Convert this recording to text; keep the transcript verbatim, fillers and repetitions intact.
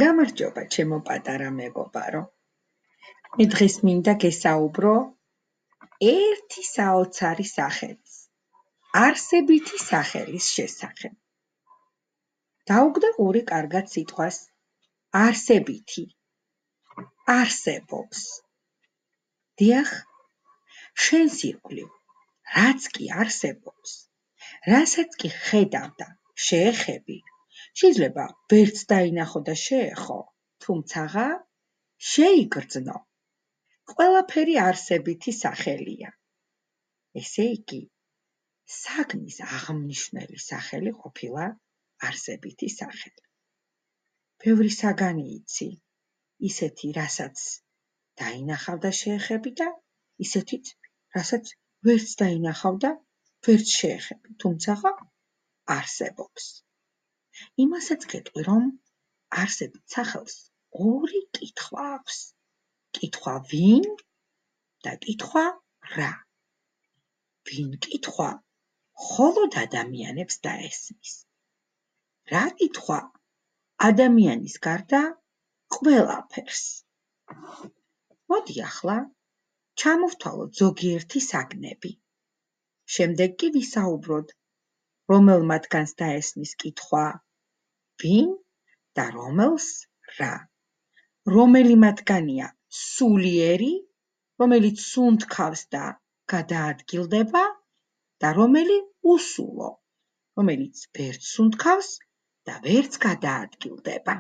გამარჯობა, ჩემო პატარა მეგობარო. მე დღეს მინდა გესაუბრო ერთი საოცარი სახელის, არსებითი სახელის შესახებ. დაუგდე ყური კარგად სიტყვას არსებითი, არსებობს. დიახ, შენს ირგვლივ, რაც კი არსებობს, რასაც კი ხედავ და შეეხები, შეიძლება ვერც დაინახო და შეეხო, თუმცაღა შეიგრძნო. ყველაფერი არსებითი სახელია. ესე იგი, საგნის აღმნიშვნელი სახელი ყოფილა არსებითი სახელი. ბევრი საგანი იცი, ისეთი, რასაც დაინახავ და შეეხები და ისეთიც, რასაც ვერც დაინახავ და ვერც შეეხები, თუმცაღა არსებობს. იმასაც გეტყვი, რომ არსებით სახელს ორი კითხვა აქვს. კითხვა ვინ და კითხვა რა. ვინ კითხვა მხოლოდ ადამიანებს დაესმის. რა კითხვა ადამიანის გარდა ყველაფერს. მოდი ახლა ჩამოვთვალოთ ზოგიერთი საგნები. შემდეგ კი ვისაუბროთ, რომელ მათგანს დაესმის კითხვა ვინ და რომელს რა. რომელი მათგანია სულიერი, რომელიც სუნთქავს და გადაადგილდება და რომელი უსულო, რომელიც ვერც სუნთქავს და ვერც გადაადგილდება.